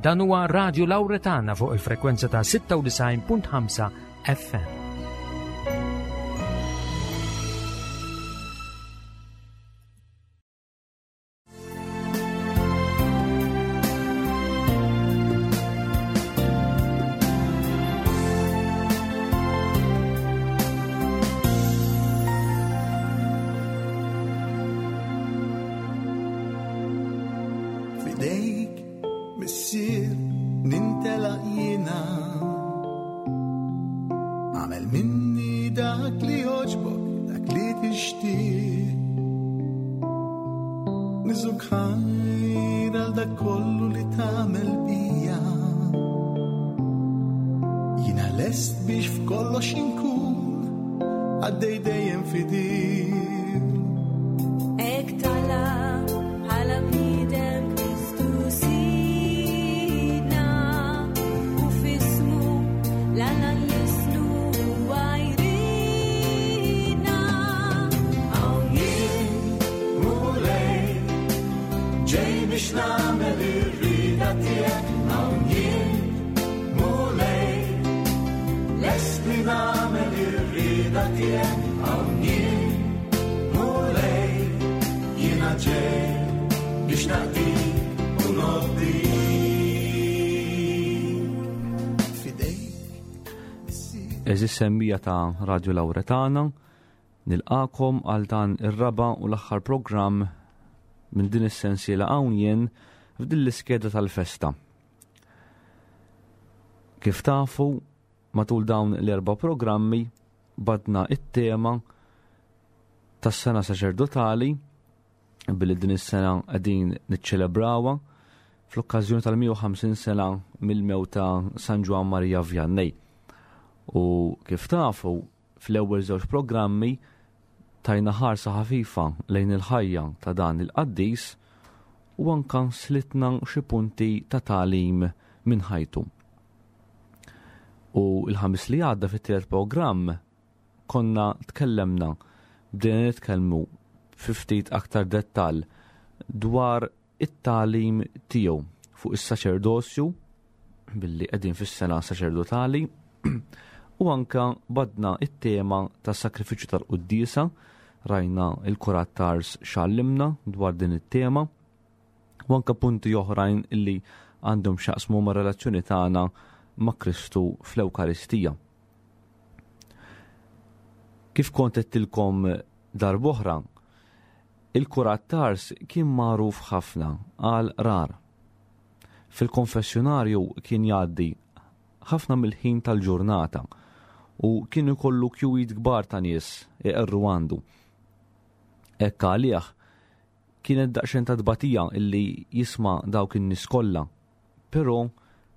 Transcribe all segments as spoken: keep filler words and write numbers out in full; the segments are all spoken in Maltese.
Dan huwa Radio Lauretana fuq il-frekwenza ta' sitta u disgħin punt ħamsa F M. F'idejk, Missier, nintelaq jiena. Agħmel minni dak li jogħġbok, dak li tixtieq. Niżżuk ħajr għal dak kollu li tagħmel bija. Jiena lest biex f'kollox inkun qaddej dejjem fidil. Hekk talab bħala bniedem Kristu Sidna u f'ismu 'l Alla nlissnu huwa jridna. Hawn jien, Mulej, ġej biex nagħmel ir-rieda tiegħek. Hawn jien, Mulej, lest li nagħmel ir-rieda tiegħek. Hawn jien, Mulej, jiena ġej biex naqdik u nobdik. F'idejk. Għeżież semmiegħa ta' Radio Lauretana, nilqagħkom għal dan ir-raba' u l-aħħar programm minn din is-sensiela Hawn Jien f'din l-iskeda tal-festa. Kif tafu, matul dawn l-erba' programmi badna it-tema tas-sena saċerdotali, billi din is-sena qegħdin niċċelebrawha fl-okkażjoni tal-mija u ħamsin sena mill-mewt ta' San Ġwann Maria Vianney. U kif tafu, fl-ewwel żewġ programmi tajna ħarsa ħafifa lejn il-ħajja ta' dan il-qaddis u anka slitna xi punti ta' tagħlim minn ħajtu. U il-Ħamis li għadda, fit-tielet programm, konna tkellemna, bdejna nitkellmu fi ftit aktar dettall dwar it-tagħlim tiegħu fuq is-saċerdozju, billi qegħdin fis-sena saċerdotali, u anka badna it-tema tas sakrifiċċju tal-quddiesa, rajna il-Kurat t'Ars x'għallimna dwar din it-tema u anka punti oħrajn illi għandhom x'jaqsmu ma' relazzjoni tagħna ma' Kristu fl-Ewkaristija. Kif kont għedtilkom darb'oħra, il-Kurat t'Ars kien magħruf ħafna għal rar. Fil-konfessjonarju kien jgħaddi ħafna mill-ħin tal-ġurnata u kien ikollu kjuwiet kbar ta' nies iqerru għandu. Hekk għalih kienet daqsxejn ta' tbatija illi jisma' dawk in-nies kollha, però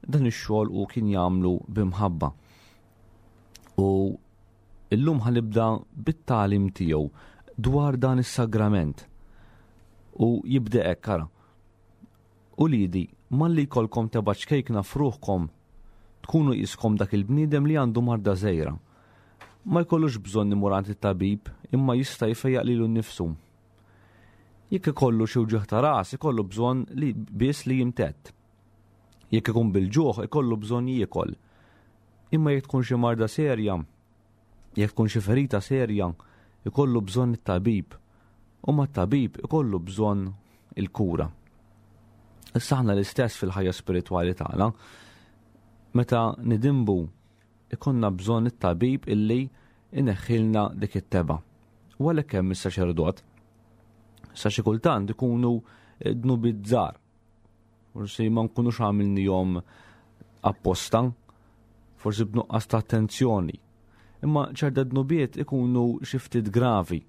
dan ix-xogħol u kien jagħmlu b'imħabba. U illum ħa nibda bit-tagħlim tiegħu dwar dan is-sagrament. U jibda hekk, ara. "Uliedi, malli jkollkom tebgħa ċkejkna f'ruħkom, tkunu qiskom dak il-bniedem li għandu marda żgħira. Ma jkollux bżonn imur għand it-tabib, imma jista' jfejjaq lilu nnifsu. Jekk ikollu xi wġigħ ta' ras, ikollu bżonn li biss li jimtedd. Jekk ikun bil-ġuħ, ikollu bżonn jiekol. Imma jekk tkun xi marda serja, jekk tkun xi ferita serja, ikollu bżonn it-tabib, u mat-tabib ikollu bżonn il-kura." Issa aħna l-istess fil-ħajja spiritwali tagħna. Meta nidinbu, ikollna bżonn it-tabib illi ineħħilna dik it-tebgħa. U għalhekk hemm is-saċerdot. Sa xi kultant ikunu dnubiet żgħar. Forsi ma nkunux għamilnihom apposta, forsi b'nuqqas ta' attenzjoni. Imma ċerta dnubiet ikunu xi ftit gravi.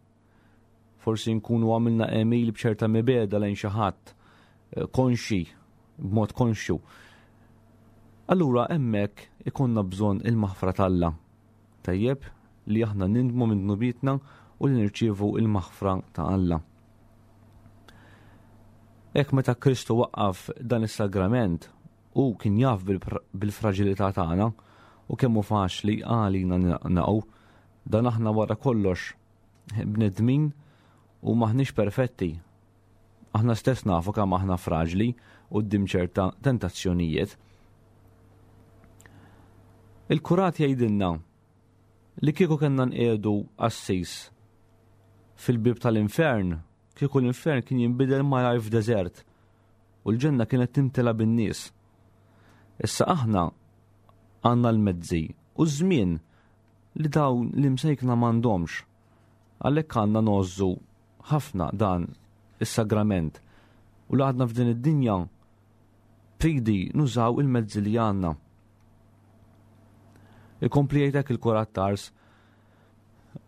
Forsi nkunu għamilna għemil b'ċerta mibegħda lejn xi ħadd, eh, konxi, b'mod konxju. Allura hemmhekk ikollna bżonn il-maħfra t'Alla. Tajjeb li aħna nindmu minn dnubietna u li nirċievu il-maħfra ta' Alla. Hekk meta Kristu waqqaf dan is-sagrament, u kien jaf bil-fragilità tagħna u kemm hu faċli għalina naqgħu, dan aħna wara kollox bnedmin u maħniex perfetti. Aħna stess nafu kemm aħna fraġli. quddiem ċerta tentazzjonijiet. Il-kurat jgħidilna li kieku kellna nqiegħdu qassis fil-bib tal-infern, kieku l-infern kien jinbidel malajr f'deżert u l-ġenna kienet timtela bin-nies. Issa aħna għandna l-mezzi u ż-żmien li dawn li msejkna m'għandhomx. Għalhekk għandna ngħożżu ħafna dan is-sagrament u li għadna f'din id-dinja pridi nużaw il-mezzi li għandna. Ikompli jgħidlek il-kurat t'Ars,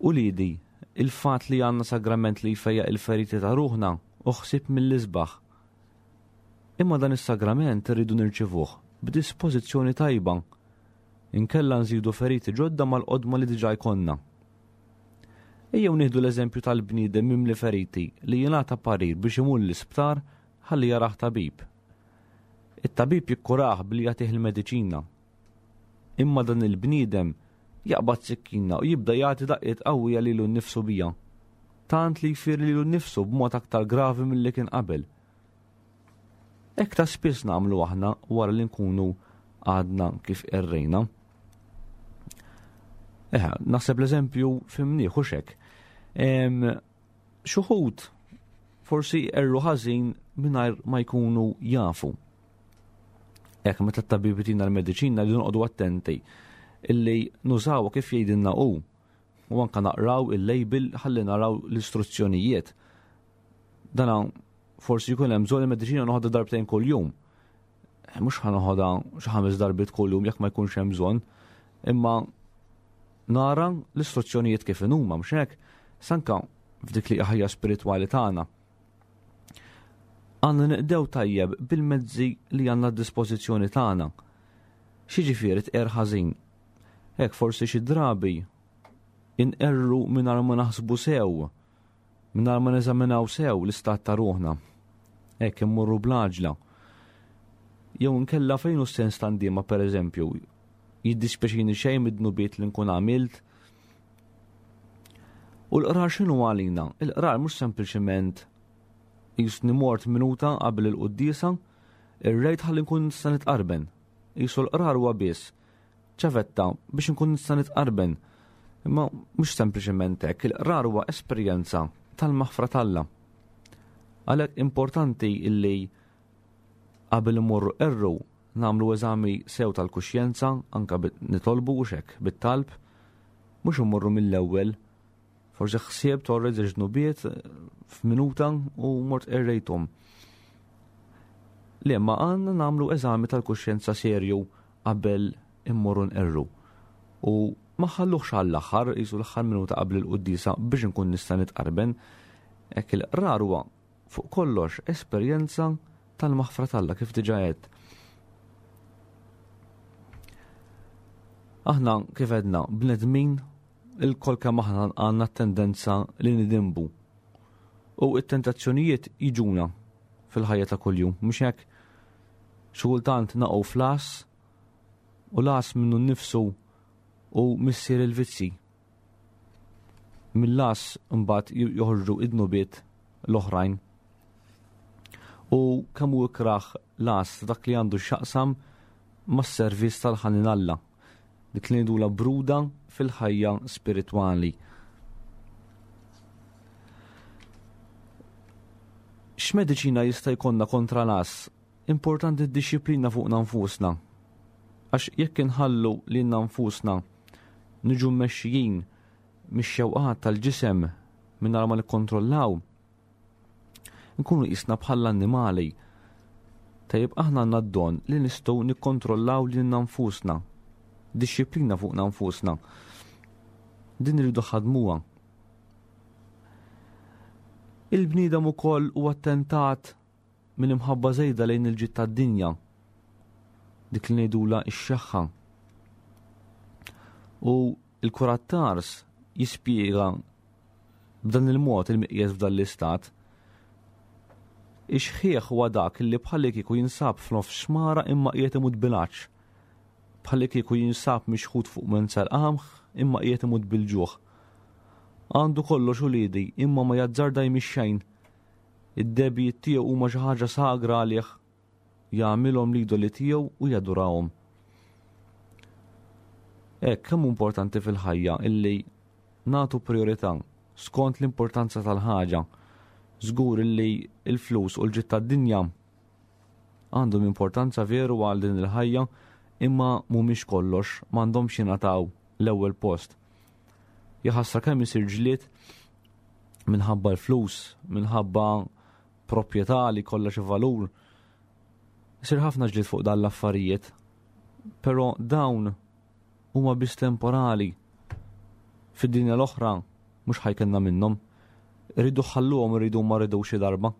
uliedi, il-fat li għandna sagrament li jfejjaq il-feriti ta' ruħna u ħsieb mill-isbaħ. Imma dan is-sagrament irridu nirċivuh b'dispożizzjoni tajba, inkella nżidu feriti ġodda mal-qodma li diġà jkollna. Ejjew nieħdu l-eżempju tal-bniedem mimli feriti li jingħata parir biex imur l-isptar ħalli jarah tabib. It-tabib jikkurah billi jagħtih il-mediċina. Imma dan il-bniedem jaqbad sikkina u jibda jagħti daqqiet qawwija lilu nnifsu bija, tant li jfir lilu nnifsu b'mod aktar gravi milli kien qabel. Hekk ta' spiss nagħmlu aħna wara li nkunu għadna kif errejna. Eħe, naħseb l-eżempju fimnieh u xek. Xuħud forsi erru ħażin mingħajr ma jkunu jafu. Hekk meta t-tabib jtina l-mediċina li noqogħdu attenti illi nużaw kif jgħidilna hu u anka naqraw il-label ħalli naraw l-istruzzjonijiet. Dana forsi jkun hemm bżonn il-mediċina noħodha darbtejn kuljum. Mhux ħa noħodha xi ħames darbiet kuljum jekk ma jkunx hemm bżonn, imma nara l-istruzzjonijiet kif inhuma mhux hekk, sanka f'dik li ħajja spiritwali tagħna. Għandna niqdew tajjeb bil-mezzi li għandna d-dispożizzjoni tagħna. X'jiġifieri tqerr ħażin? Hekk forsi xi drabi inqerru mingħajr ma naħsbu sew, mingħajr ma neżaminaw sew l-istat ta' ruħna. Hekk immorru bl-għaġla. Jew inkella fejn hu s-sens ta' ndiema pereżempju, jiddispjaċini xejn mid-dnubiet li nkun għamilt. U l-qrar x'inhu għalina? Il-qrar mhux sempliċement jisni mort minuta qabel il-quddiesa, ir-rejt ħalli nkun nista' nitqarben. Jisu l-qrar huwa biss ċavetta biex nkun nista' nitqarben. Imma mhux sempliċement hekk, il-qrar huwa esperjenza tal-maħfra t'Alla. Għalhekk importanti illi qabel imorru erru nagħmlu eżami sew tal-kuxjenza, anka nitolbu u xek bit-talb, mhux immorru mill-ewwel. Forsi ħsieb torre ġnubiet f'minuta u mort errejthom. Le, ma għandna nagħmlu eżami tal-kuxjenza serju qabel immorru nqerru. U ma ħalluhx għall-aħħar, jisu l-aħħar minuta qabel il-quddiesa biex nkun nista' nitqarben. Hekk il-qrar huwa fuq kollox esperjenza tal-maħfra t'Alla kif diġà għedt. Aħna kif għedna bnedmin il-kol kemm aħna għandna tendenza li nidinbu. U t-tentazzjonijiet jiġuna fil-ħajja ta' kuljum, mhux hekk? Xi kultant naqgħu fl-għas u l-għas minnu nnifsu u missier il-vizzi. Mill-għas imbagħad joħorġu id-dnubiet l-oħrajn. U kemm hu ikrah l-għas dak li għandu x'jaqsam mas-servizz tal-ħanin Alla, dik li ngħidulha bruda fil-ħajja spiritwali. X'mediċina jista' jkollna kontra l-għas? Importanti d-dixxiplina fuqna nfusna. Għax jekk inħallu lilna nfusna niġu mmexxijin mix-xewqat tal-ġisem mingħajr ma nikkontrollaw, nkunu qisna bħall-annimali. Tajjeb aħna għandna d-don li nistgħu nikkontrollaw lilna nfusna, dixxiplina fuqna nfusna. Din irridu ħadmuha. Il-bniedem ukoll huwa attentat minn imħabba żejda lejn il-ġid tad-dinja, dik li ngħidulha x-xeħħa. U l-kurat t'Ars jispjega b'dan il-mod il-miqjes f'dan l-istat. Ix-xħieħ huwa dak li bħalli kieku jinsab f'nofs xmara imma qiegħed imut bil-għatx. Bħalli kieku jinsab mixħut fuq mensel qamħ imma qiegħed imut bil-ġuħ. Għandu kollox uliedi imma ma jazzarda jmix xejn. Id-debijiet tiegħu huma xi ħaġa sagra għalih. jagħmilhom l-idoli tiegħu u jadurawhom. Hekk kemm importanti fil-ħajja illi nagħtu priorità skont l-importanza tal-ħaġa. Żgur illi l-flus u l-ġid tad-dinja għandhom importanza veru għal din il-ħajja, imma mhumiex kollox, m'għandhomx jingħataw l-ewwel post. Jaħasra kemm isir ġlied minħabba l-flus, minħabba proprjetà li kollha xi valur. Isir ħafna ġlied fuq dan l-affarijiet, però dawn huma biss temporali. Fid-dinja l-oħra mhux ħajkenna minnhom. Irridu ħalluhom, irridu ma rridux xi darba.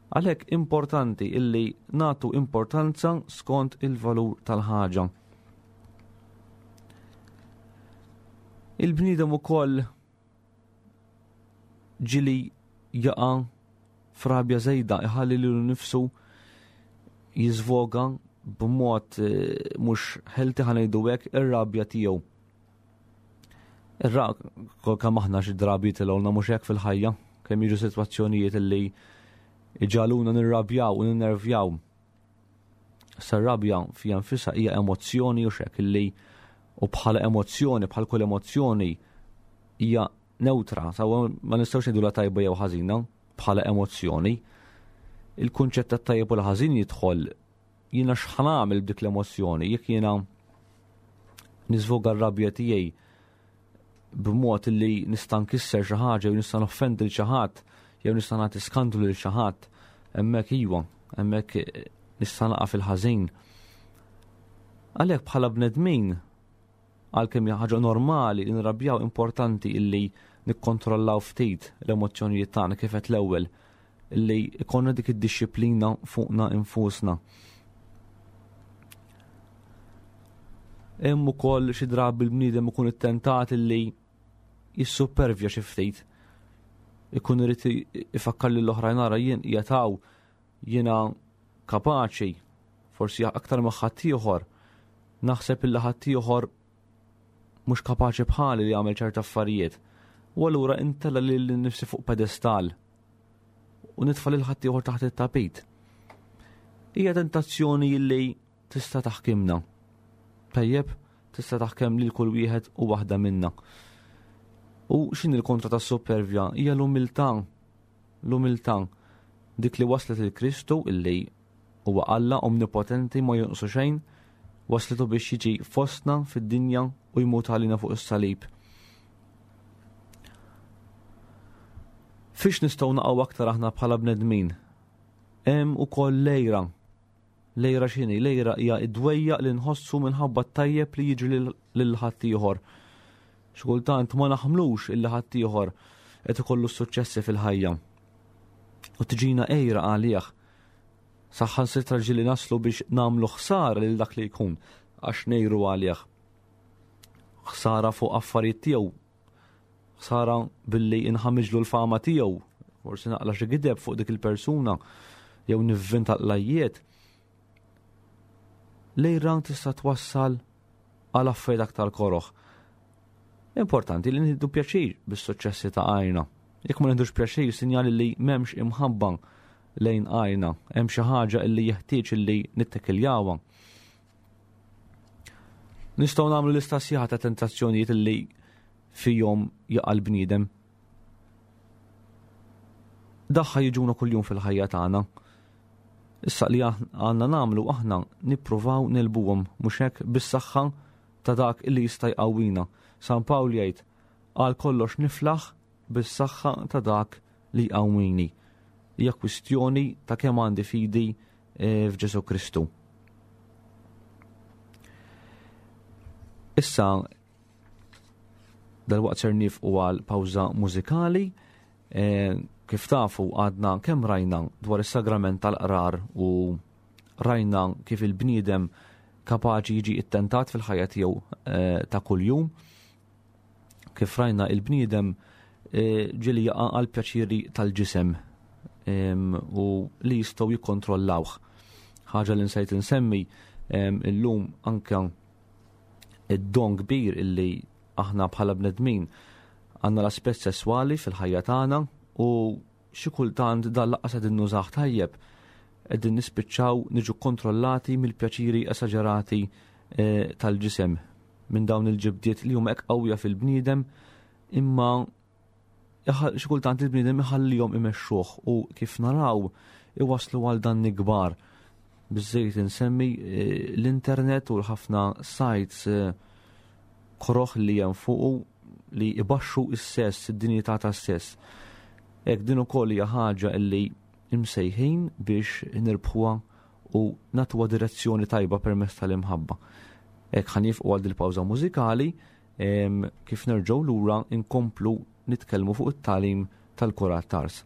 Għalhekk importanti illi nagħtu importanza skont il-valur tal-ħaġa. Il-bniedem ukoll ġili jaqa' f'rabja żejda, iħalli lilu nnifsu jiżvoga b'mod mhux ħelti, ħa ngħidu hekk, ir-rabja tiegħu. Ir-ra-, kol kemm aħna xi drabi tilgħulna mhux hekk fil-ħajja, kemm jiġu sitwazzjonijiet illi iġaluna nirrabjaw u ninnervjaw. Issa r-rabja fija nfisha hija emozzjoni u xek illi u bħala emozzjoni, bħal kull emozzjoni hija neutra, sawa ma nistgħux ngħidu la tajba jew ħażina bħala emozzjoni. Il-kunċett tat-tajjeb u l-ħażin jidħol jiena x'ħanamel b'dik l-emozzjoni, jekk jiena niżvoga r-rabja tiegħi b'mod li nista' nkisser xi ħaġa jew nista' noffendi lil xi ħadd jew nista' nagħti skandlu lil xi ħadd, hemmhekk iwa, hemmhekk nista' naqa' fil-ħażin. Għalhekk bħala bnedmin, għalkemm hija ħaġa normali li nirrabjaw, importanti illi nikkontrollaw ftit l-emozzjonijiet tagħna kif qed l-ewwel, illi ikollna dik id-dixxiplina fuqna infusna. Hemm ukoll xi drabi l-bniedem ikun ittentat illi jissupervja xi ftit. Ikun irid ifakkar lil oħrajn, ara jien qiegħed hawn, jiena kapaċi, forsi aktar ma' ħaddieħor, naħseb illi ħaddieħor mhux kapaċi bħali li jagħmel ċerta affarijiet. U allura intella lil nifsi fuq pedestal u nitfa' lil ħaddieħor taħt it-tapit. Hija tentazzjoni li tista' taħkimna. Tajjeb, tista' taħkem lil kull wieħed u waħda minna. U x'inhi l-kontra tas-supervja? Hija l-umiltà. L-umiltà, dik li waslet il Kristu illi huwa Alla omnipotenti ma jonqsu xejn, waslitu biex jiġi fostna fid-dinja u jmut għalina fuq is-salib. Fiex nistgħu naqgħu aktar aħna bħala bnedmin? Hemm ukoll lejra. Lejra x'inhi? Lejra hija d-dwejjaq li nħossu minħabba t-tajjeb li jiġri lil, lil ħaddieħor. Xi kultant ma naħmlux illi ħaddieħor qed ikollu s-suċċessi fil-ħajja. U tiġina għejra għalih. Saħansitra ġieli naslu biex nagħmlu ħsara lil dak li jkun għax ngħiru għalih. Ħsara fuq affarijiet tiegħu, ħsara billi inħammiġlu l-fama tiegħu, forsi naqla xi gideb fuq dik il-persuna jew nivvinta l-lajjiet. Lejra tista' twassal għal affarijiet aktar koroħ. Importanti li nieħdu pjaċir bis-suċċessi ta' għajna. Jekk ma nieħdux pjaċir, sinjali li m'hemmx imħabba lejn għajna, hemm xi ħaġa li jeħtieġ li nittekiljawha. Nistgħu nagħmlu lista sħiħa ta' tentazzjonijiet li fihom jaqa' l-bniedem. Daħħa jiġuna kuljum fil-ħajja tagħna. Issa li aħ-, għandna nagħmlu aħna nippruvaw nilbuhom, mhux hekk, bis-saħħa ta' dak li jista' jqawwina. San Pawl jgħid, għal kollox niflaħ bis-saħħa ta' dak li jqawwini. Hija kwistjoni ta' kemm għandi fidi, eh, f'Ġesu Kristu. Issa dalwaqt ser nifqu għal pawża mużikali. Eh, kif tafu għadna kemm rajna dwar is-sagrament tal-qrar u rajna kif il-bniedem kapaċi jiġi ittentat fil-ħajja tiegħu, eh, ta' kuljum. Kif rajna il-bniedem, eh, ġieli jaqa' għal pjaċiri tal-ġisem, em, u li jistgħu jikkontrollawh. Ħaġa li nsejt insemmi, em, illum anke id-don kbir illi aħna bħala bnedmin għandna l-aspett sesswali fil-ħajja tagħna u xi kultant dan lanqas qed innużah tajjeb. qegħdin nispiċċaw niġu kontrollati mill-pjaċiri esaġerati eh, tal-ġisem, minn dawn il-ġibdiet li huma hekk qawwija fil-bniedem, imma xi kultant il-bniedem iħallihom imexxuh u kif naraw iwaslu għal danni kbar. Biżżejjed insemmi eh, l-internet u l-ħafna sites eh, koroħ li hemm fuqu li ibaxxu s-sess, id-dinjità tas-sess. Hekk din ukoll hija ħaġa li imsejħin biex nirbħuha u nagħtuha direzzjoni tajba permezz tal-imħabba. Hekk ħa nieqfu għal dil-pawża mużikali, kif nerġgħu lura inkomplu nitkellmu fuq it-tagħlim tal-Kurat t'Ars.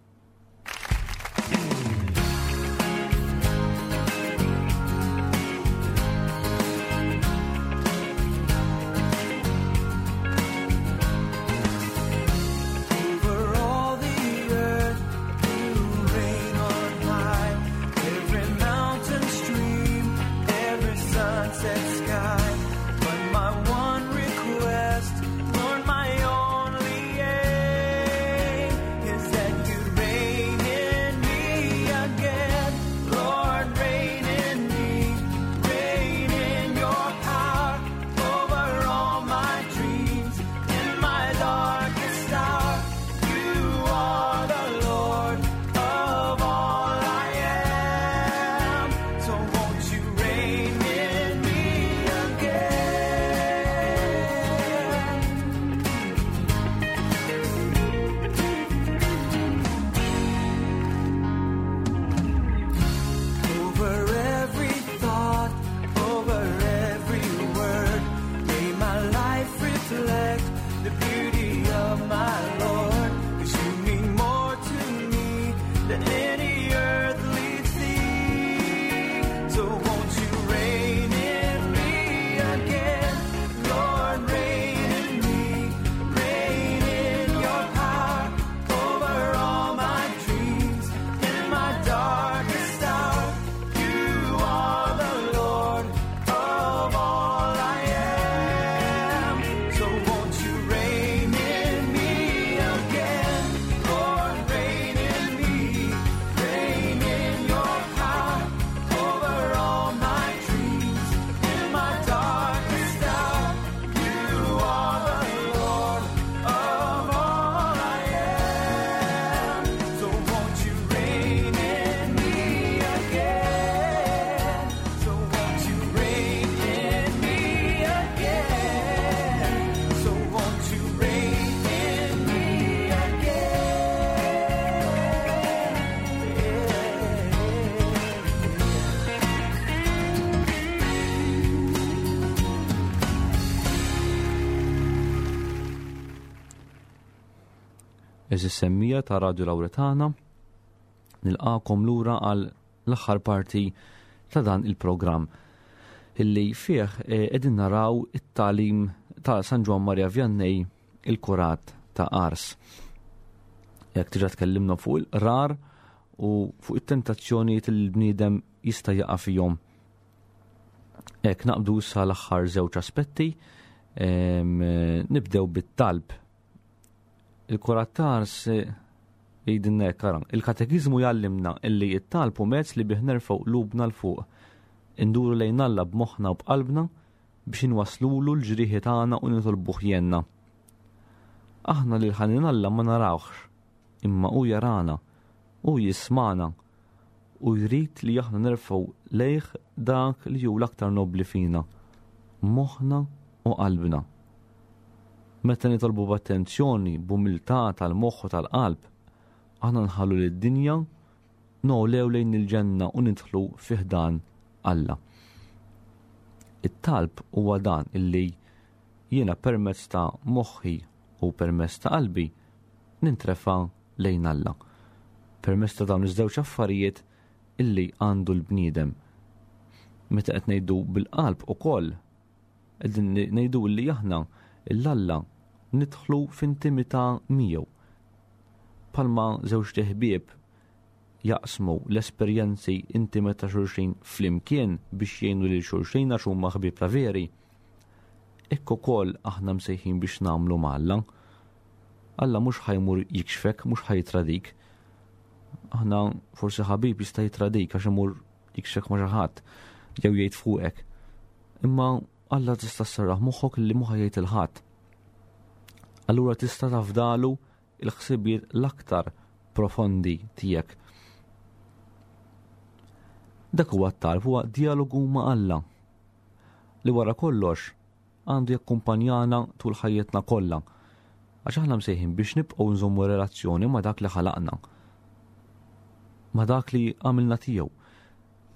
Over all the earth you reign on high. Every mountain stream, every sunset sky. But my one request, Lord, my only aim, is that you reign in me again. Lord, reign in me, reign in your power over all my dreams. In my darkest hour, you are the Lord of all I am. So won't you reign in me again? Over every thought, over every word, may my life reflect the beauty of my Lord. 'Cause you mean more to me than any earthly thing. So won't you reign in me again? Lord, reign in me, reign in your power over all my dreams. In my darkest hour, you are the Lord of all I am. So won't you reign in me again? Lord, reign in me, reign in your power over all my dreams. In my darkest hour, you are the Lord of all I am. So won't you reign in me again? So won't you reign in me again? So won't you reign in me again? Eżis semmija ta' Radio Lauretana, nilqakom lura għal l-aħħar parti ta' dan il-programm illi fih eh, qegħdin naraw it-tagħlim ta' San Ġwann Maria Vianney, il-Kurat ta' Ars. Jekk diġà tkellimna fuq il-qrar u fuq it-tentazzjonijiet li l-bniedem jista' jaqa' fihom. Hekk naqbdu issa l-aħħar żewġ aspetti, em, nibdew bit-talb. Il-Kurat ta' Ars jgħidilna hekk, ara, il-katekiżmu jgħallimna illi t-talb hu mezz li bih nerfgħu qlubna 'l fuq, induru lejn Alla b'moħħna u b'qalbna biex inwaslulu l-ġrieħi tagħna u nitolbuh jenna. Aħna lil ħanin Alla ma narawhx, imma hu jarana, hu jismana u jrid li aħna nerfgħu lejh dak li hu l-aktar nobli fina, moħħna u qalbna. Meta nitolbu b'attenzjoni, b'umiltà tal-moħħ u tal-qalb, aħna nħallu lid-dinja nogħlew lejn il-ġenna u nidħlu fi ħdan Alla. It-talb huwa dan illi jiena permezz ta' moħħi u permezz ta' qalbi nintrefa' lejn Alla. Permezz ta' dawn iż-żewġ affarijiet illi għandu l-bniedem. Meta qed ngħidu bil-qalb ukoll, qegħdin ngħidu li aħna l-Alla nidħlu f'intimità miegħu. Palma żewġ teħbieb jaqsmu l-esperjenzi intimi ta' xulxin flimkien biex jgħinu lil xulxin għax huma ħbieb ta' veri. Hekk ukoll aħna msejħin biex nagħmlu ma' Alla. Alla mhux ħajmur jikxfek, mhux ħajtradik. Aħna forsi ħabib jista' jitradik għax imur jikxek ma' xi ħadd jew jgħid fuqek. Imma Alla tista' sserraħ moħħok li mhu ħa jgħid lil ħadd. Allura tista' tafdalu il-ħsibijiet l-aktar profondi tiegħek. Dak huwa t-talb, huwa dialogu ma' Alla li wara kollox għandu jakkumpanjana tul ħajjitna kollha. Għax aħna msejħin biex nibqgħu nżommu relazzjoni ma' dak li ħalaqna, ma' dak li għamilna tiegħu.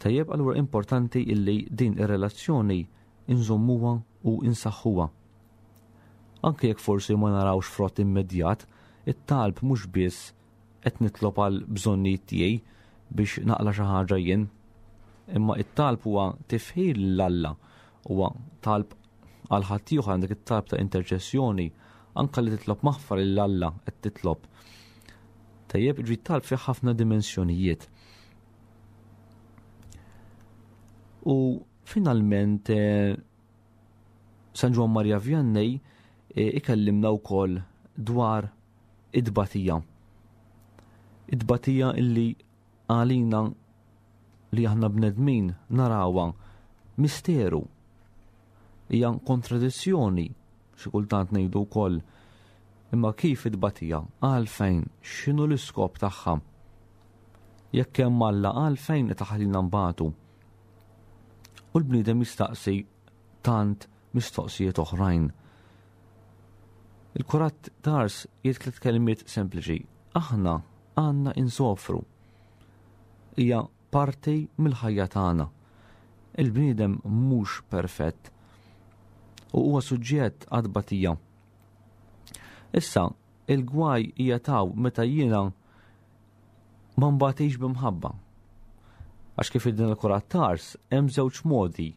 Tajjeb, allura importanti illi din ir-relazzjoni inżommuha u insaħħuha. Anke jekk forsi ma narawx frott immedjat, it-talb mhux biss qed nitlob għal bżonnijiet tiegħi biex naqla xi ħaġa jien, imma it-talb huwa tifħir lil Alla, huwa talb għal ħaddieħor, għandek it-talb ta' interċessjoni, anke li titlob maħfra lil Alla qed titlob. Tajjeb, ġi talb fih ħafna dimensjonijiet. U finalment, eh, San Ġwann Maria Vianney, eh, ikellimna wkoll dwar id-batija. Id-batija illi għalina li aħna bnedmin narawha misteru. Hija kontradizzjoni xi kultant ngħidu wkoll. Imma kif id-batija? Għalfejn? X'inhu l-iskop tagħha? Jekk hemm Alla, għalfejn qed taħlina nbatu? U l-bniedem jistaqsi tant mistoqsijiet oħrajn. Il-Kurat Tars jgħid tliet kelmiet sempliċi. Aħna għandna insofru. Hija parti mill-ħajja tagħna. Il-bniedem mhux perfett u huwa suġġett għad-batija. Issa, il-gwaj hija taw meta jiena ma nbatix b'imħabba. Għax kif id-din il-Kurat Tars hemm żewġ modi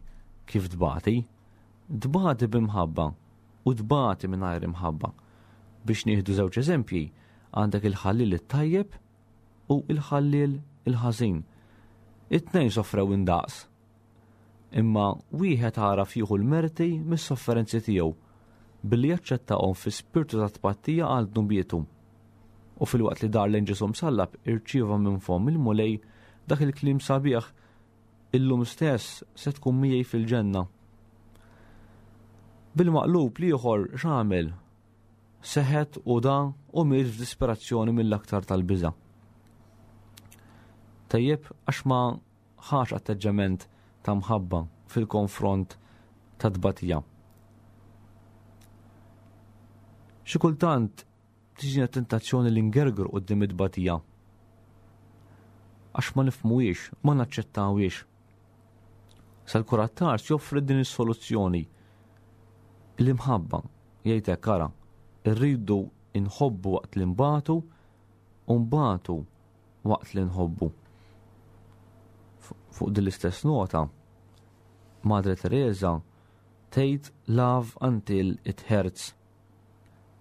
kif tbati. Tbati b'imħabba u tbati mingħajr imħabba. Biex nieħdu żewġ eżempji, għandek il-ħallil it-tajjeb u il-ħallil il-ħażin. It-tnejn sofrew indaqs. Imma wieħed għaraf jieħu l-merti mis-sofferenzi tiegħu billi jaċċettahom fi spirtu ta' tpattija għal dnubietu. U filwaqt li dar lejn Ġesù msallab irċieva minn fomm il-Mulej dak il-kliem sabiħ, illum stess se tkun miegħi fil-ġenna. Bil-maqlub l-ieħor x'għamel? Seħet u da u miet f'disperazzjoni mill-aktar tal-biża'. Tajjeb, għax ma ħax atteġġament ta' mħabba fil-konfront ta' tbatija. Xi kultant tiġina tentazzjoni li ngergru quddiem it-tbatija. Għax ma nifhmuhiex, ma naċċettawhiex. Sal-Kurat Tars joffri din is-soluzzjoni. L-imħabba, jgħid hekk, ara, irridu nħobbu waqt li nbatu u nbatu waqt li nħobbu. Fuq din l-istess nota, Madre Teresa tgħid love until it hurts.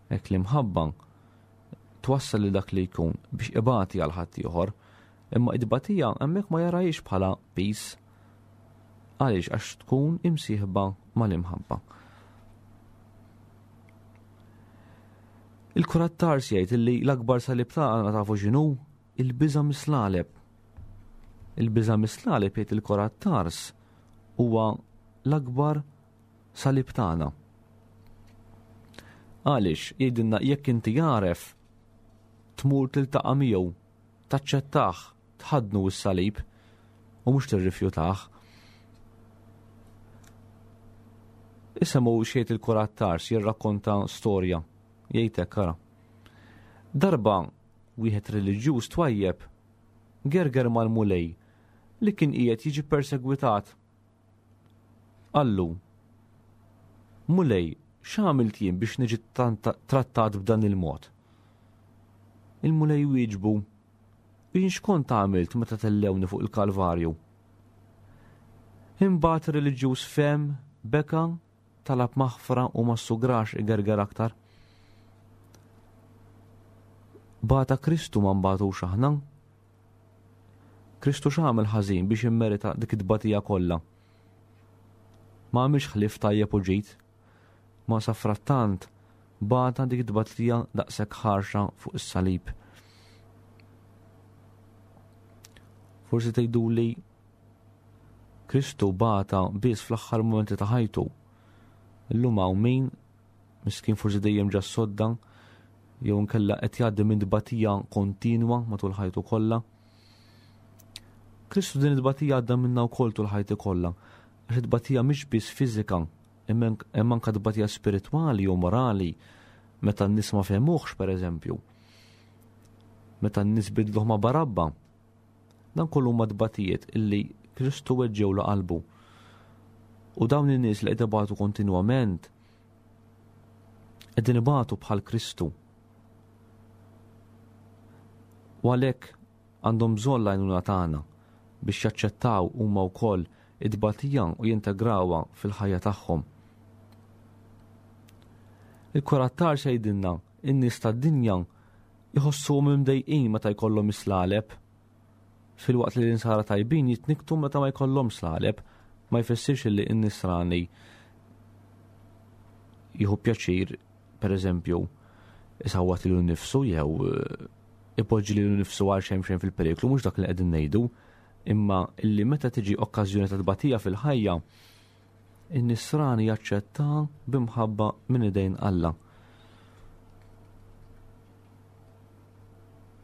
Hekk l-imħabba twassal li dak li jkun biex ibati għal ħaddieħor, imma id-batija hemmhekk ma jarahiex bħala peace. Għaliex? Għax tkun imsieħba mal-imħabba. Il-Kurat Tars jgħid illi l-akbar salib tagħna tafu x'inhu? Il-biża' mislaleb. Il-biża' mislaleb jgħid il-Kurat Tars huwa l-akbar salib tagħna. Għaliex? Jgħidilna jekk inti għaref tmur tiltaqa' miegħu, taċċettah, tħaddnu s-salib u mhux tirrifjutah. Issa mhu xejn il-Kurat Tars jirrakkonta storja, jgħid hekk, ara. Darba wieħed reliġjuż twajjeb gerger mal-Mulej li kien qiegħed jiġi persegwitat. Qallu, Mulej, x'għamilt jien biex niġi tanta-, trattat b'dan il-mod? Il-Mulej wieġbu, jien x'kont għamilt meta tellewni fuq il-Kalvarju? Imbagħad reliġjuż fem, beka, talab maħfra u ma ssugrax igerger aktar. Bata Kristu ma nbatux aħna? Kristu x'għamel ħażin biex immerita dik it-tbatija kollha? Ma għamilx ħlief tajjeb u ġid. Ma safrattant bata dik it-tbatija daqshekk ħarxa fuq is-salib. Forsi tgħiduli Kristu bata biss fl-aħħar momenti ta' ħajtu. Illum hawn min miskin forsi dejjem ġa sodda jew inkella qed jgħaddi minn tbatija kontinwa matul ħajtu kollha. Kristu din it-tbatija għadda minnha wkoll tul ħajtu kollha. Għax it-tbatija mhix biss fiżika, imma anke tbatija spiritwali u morali meta n-nies ma fehmuhx pereżempju. Meta n-nies bidluh ma' Barabba. Dan kollu huma tbatijiet illi Kristu weġġew qalbu. U dawn in-nies li qed ibatu kontinwament qegħdin ibatu bħal Kristu. U għalhekk għandhom bżonn l-għajnuna tagħna biex jaċċettaw huma wkoll it-tbatija u jintegrawha fil-ħajja tagħhom. Il-Kurat t'Ars jgħidilna in-nies tad-dinja jħossuhom imdejqin meta jkollhom islaleb, filwaqt li l-insara tajbin jitniktu meta ma jkollhom slaleb. Ma jfissirx li n-nisrani jieħu pjaċir, per eżempju, isawwat lilu nnifsu jew ipoġġi lilu nnifsu għal xejn xejn fil-periklu, mhux dak li qegħdin ngħidu, imma illi meta tiġi okkażjoni ta' tbatija fil-ħajja, in-nisrani jaċċetta b'imħabba minn idejn Alla.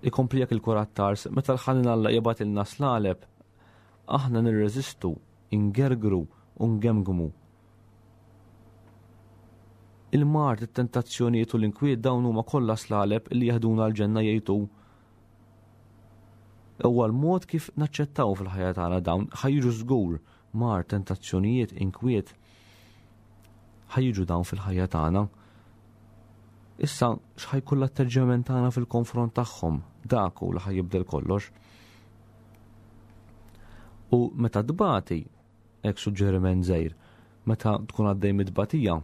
Ikompli jekk il-Kurat t'Ars, meta l-ħanin Alla jibgħatilna slaleb, aħna nirreżistu, ingergru u ngemgmu. Il-mard, it-tentazzjonijiet u l-inkwiet dawn huma kollha slaleb li jaħduna l-ġenna jgħidu. Huwa l-mod kif naċċettaw fil-ħajja tagħna dawn ħajġu żgur mar, tentazzjonijiet, inkwiet, ħajġu dawn fil-ħajja tagħna. Issa x'ħajkun l-atteġġjament tagħna fil-konfront tagħhom, dak hu li ħajjibdel kollox. U meta tbati, hekk suġġeriment żgħir, meta tkun għaddej mit-tbatija,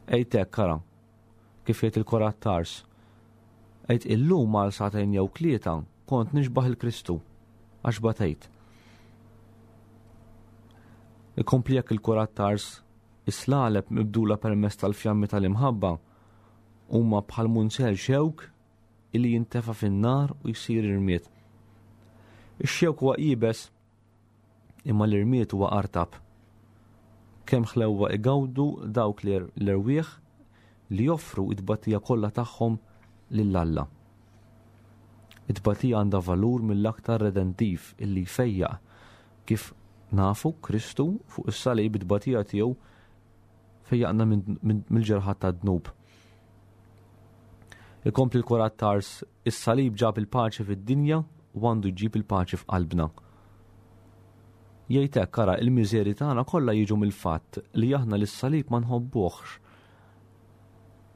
għid hekk ara, kif jgħid il-Kurat t'Ars, għid illum għal sagħtejn jew tlieta kont nixbaħ il-Kristu għax batejt. Ikompli jekk il-Kurat t'Ars, is-slaleb mibdula permezz tal-fjammi tal-imħabba huma bħal munzel xewk illi jintefa' fin-nar u jsir irmied. Ix-xewk huwa iebes imma l-irmied huwa artab. Kemm ħlewwa igawdu dawk l-erwieħ li joffru it-tbatija kollha tagħhom lil Alla. It-tbatija għandha valur mill-aktar redentiv illi jfejjaq, kif nafu Kristu fuq is-salib it-tbatija tiegħu fejjaqna mill-ġerħat tad-dnub. Ikompli l-Kurat t'Ars, is-salib ġab il-paċi fid-dinja u għandu jġib il-paċi f'qalbna. Jgħid hekk, ara, il-miżeri tagħna kollha jiġu mill-fatt li aħna lis-salib ma nħobbuhx.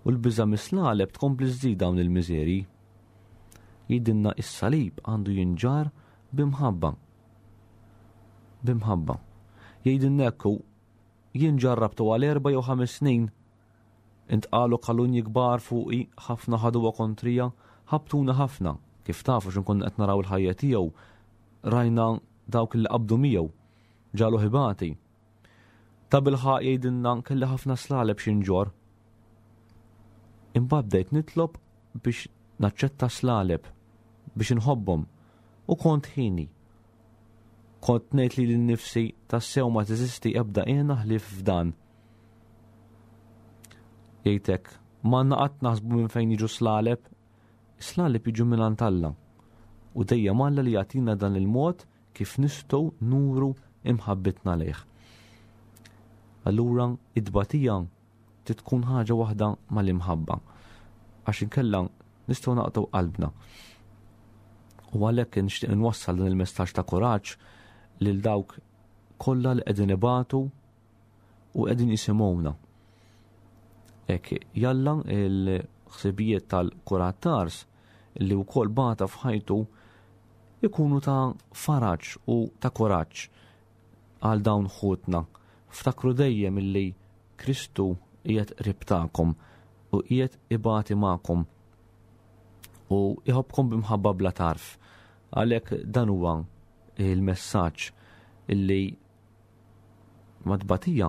U l-biża' mis-slaleb tkompli żżid dawn il-miżeri. Jgħidilna is-salib għandu jinġar b'imħabba. B'imħabba. Jgħidilna hekk, jien ġarrabtu għal erba' jew ħames snin, intqalu kalunji kbar fuqi, ħafna ħaduha kontrija, ħabtuna ħafna, kif tafu x'inkun qed naraw il-ħajja tiegħu, rajna dawk li qabdu miegħu, ġalu ħibati. Ta' bilħaq jgħidilna kelli ħafna slaleb xi nġorr. Imbagħad bdejt nitlob biex naċċetta slaleb, biex inħobbhom, u kont ħini. Kont ngħid lili nnifsi tassew ma teżisti ebda qiegħna ħlief f'dan. Jgħidlek, ma għandna qatt naħsbu minn fejn jiġu slaleb, slaleb jiġu minn għand Alla. U dejjem Alla li jagħtina dan il-mod kif nistgħu nuru imħabbitna lejh. Allura id-tbatija trid tkun ħaġa waħda mal-imħabba, għax inkella nistgħu naqtgħu qalbna. U għalhekk nixtieq nwassal dan il-messaġġ ta' kuraġġ lil dawk kollha li qegħdin ibatu u qegħdin jisimgħuna. Hekk jalla il-ħsibijiet tal-Kurat t'Ars li wkoll bata f'ħajtu ikunu ta' faraġ u ta' kuraġġ għal dawn ħutna. Ftakru dejjem illi Kristu qiegħed qrib tagħkom u qiegħed ibati magħkom u jħobbkom b'imħabba bla tarf. Għalhekk dan huwa il-messaġġ illi mat-tbatija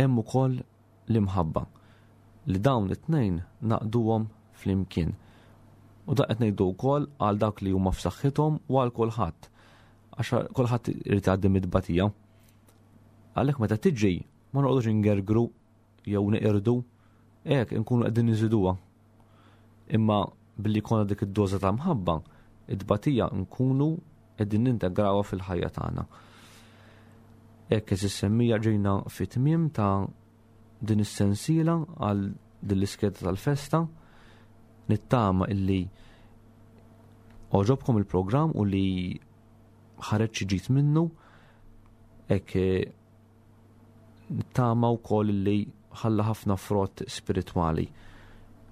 hemm ukoll l-imħabba, li dawn it-tnejn naqduhom flimkien. U dak qed ngħidu wkoll għal dawk li huma f'saħħithom u għal kulħadd. Għax kulħadd irid jgħaddi mid-tbatija. Għalhekk meta tiġi ma noqogħdux ingergru jew neqirdu, hekk inkunu qegħdin niżiduha. Imma billi jkollna dik id-doża ta' mħabba, id-tbatija nkunu qegħdin nintegrawha fil-ħajja tagħna. Hekk għeżież semmija ġejna fit-tmiem ta' din is-sensiela għal din l-iskeda tal-festa. Nittama illi għoġobkom il-programm u li ħareġ xi ġid minnu. Hekk nittama wkoll illi ħalla ħafna frott spiritwali.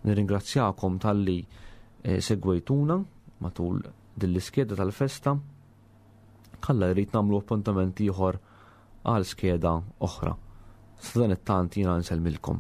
Nirringrazzjakom talli, eh, segwejtuna matul din l-iskeda tal-festa. Alla jrid nagħmlu appuntament ieħor għal skeda oħra. Sa dan it-tant jiena nsellmilkom.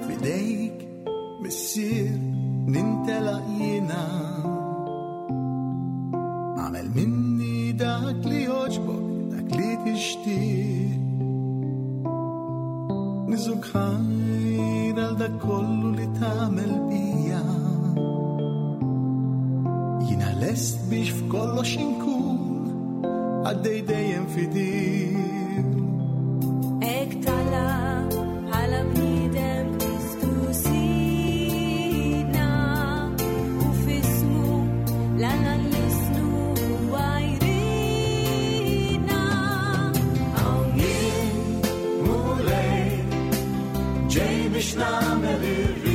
Fidejk, Missier, nintelaq jiena. Għamel minni dak li jogħġbok, dak li tixtieq. Niżuk ħajr għal dak kollu li tagħmel bija. Jiena lest biex f'kollox inkun għaddej dejjem fidil. Hekk tala bħala bniedem Kristu Sidna, u f'ismu l-Alla nlisnu huwa jridna. Hawn jien, Mulej, ġej biex nagħmel ir-rieda.